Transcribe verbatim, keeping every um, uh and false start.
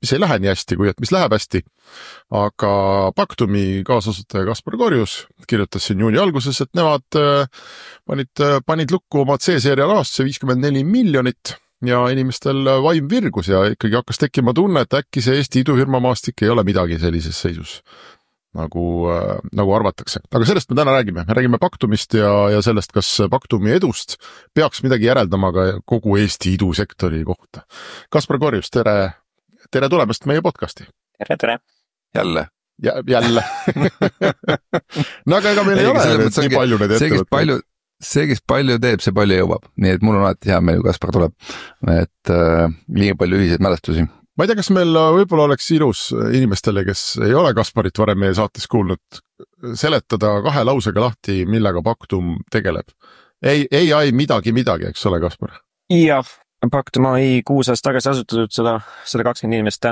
mis ei lähe nii hästi, kui et mis läheb hästi. Aga Pactumi kaasasutaja Kaspar Korjus kirjutas siin juuni alguses, et nemad panid, panid lukku oma C-seeria rahastuse viiskümmend neli miljonit ja inimestel vaim virgus ja ikkagi hakkas tekkima tunne, et äkki see Eesti idufirma maastik ei ole midagi sellises seisus. Nagu, nagu arvatakse. Aga sellest me täna räägime. Me räägime Pactumist ja, ja sellest, kas Pactumi edust peaks midagi järeldama ka kogu Eesti idusektori kohta. Kaspar Korjus, tere, tere tulemast meie podcasti. Tere, tere. Jälle. Ja, jälle. No aga ega meil ei, ei ole need, nii palju need ettevõtted. See, kes palju teeb, see palju jõuab. Nii et mul on alati hea meil, kui Kaspar tuleb. Et äh, liiga palju ühiseid mälestusi. Ma ei tea, kas meil võib-olla oleks ilus inimestele, kes ei ole Kasparit varem meie saates kuulnud, seletada kahe lausega lahti, millega Pactum tegeleb. Ei, ei, ei midagi, midagi, eks ole, Kaspar? Jah, Pactum A I kuus aastat tagasi asutatud, sada kakskümmend inimest täna